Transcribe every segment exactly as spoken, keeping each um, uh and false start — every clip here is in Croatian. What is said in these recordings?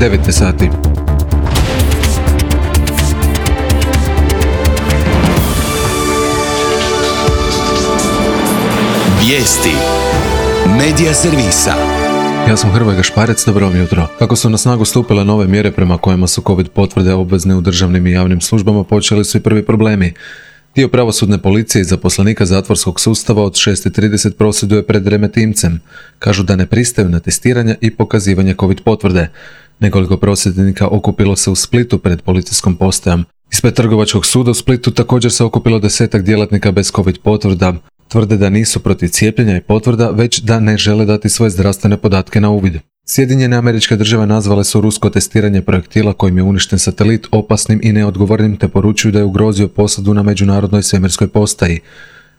devet sati. Vijesti Medija servisa. Ja sam Hrvoje Gašparec, dobro vam jutro. Kako su na snagu stupile nove mjere prema kojima su COVID potvrde obvezne u državnim i javnim službama, počeli su i prvi problemi. Dio pravosudne policije i zaposlenika zatvorskog sustava od šest i trideset prosvjeduje pred Remetincem. Kažu da ne pristaju na testiranje i pokazivanje COVID potvrde. Nekoliko prosvjednika okupilo se u Splitu pred policijskom postajom. Ispred Trgovačkog suda u Splitu također se okupilo desetak djelatnika bez COVID potvrda. Tvrde da nisu protiv cijepljenja i potvrda, već da ne žele dati svoje zdravstvene podatke na uvid. Sjedinjene Američke Države nazvale su rusko testiranje projektila kojim je uništen satelit opasnim i neodgovornim, te poručuju da je ugrozio posadu na međunarodnoj svemirskoj postaji.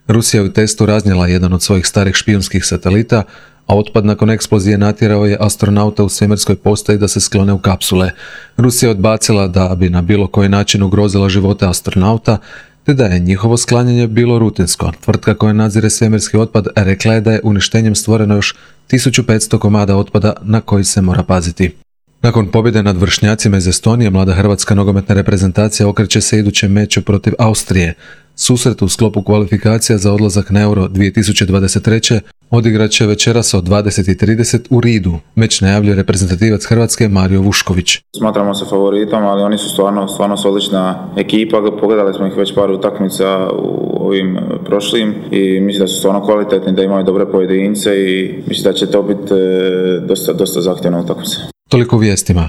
Rusija je u testu raznijela jedan od svojih starih špijunskih satelita, a otpad nakon eksplozije natjerao je astronauta u svemirskoj postaji da se sklone u kapsule. Rusija je odbacila da bi na bilo koji način ugrozila živote astronauta, te da je njihovo sklanjanje bilo rutinsko. Tvrtka koja nadzire svemirski otpad rekla je da je uništenjem stvoreno još tisuću petsto komada otpada na koji se mora paziti. Nakon pobjede nad vršnjacima iz Estonije, mlada hrvatska nogometna reprezentacija okreće se idućem meču protiv Austrije. Susret u sklopu kvalifikacija za odlazak na Euro dvije tisuće dvadeset treće odigrat će večeras od dvadeset i trideset u Ridu. Meč najavljuje reprezentativac Hrvatske Mario Vušković. Smatramo se favoritom, ali oni su stvarno, stvarno su odlična ekipa. Pogledali smo ih već par utakmica u ovim prošlim i mislim da su stvarno kvalitetni, da imaju dobre pojedince i mislim da će to biti dosta, dosta zahtjevna utakmica. Toliko u vijestima.